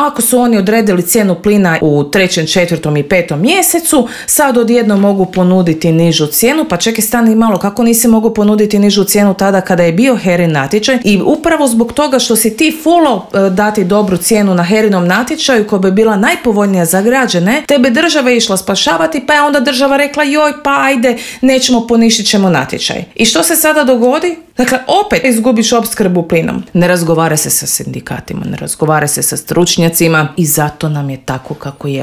ako su oni odredili cijenu plina u 3., 4. i 5. mjesecu, sad odjednom mogu ponuditi nižu cijenu, pa čekaj stani malo, kako nisi mogu ponuditi nižu cijenu tada kada je bio HERA-in natječaj? I upravo zbog toga što si ti fulao dati dobru cijenu na HERA-inom natječaju koja bi bila najpovoljnija za građane, tebe država išla spašavati, pa je onda država rekla joj pa ajde, nećemo, poništit ćemo natječaj. I što se sada dogodi? Dakle, opet izgubiš opskrbu plinom. Ne razgovara se sa sindikatima, ne razgovara se sa stručnjacima i zato nam je tako kako je.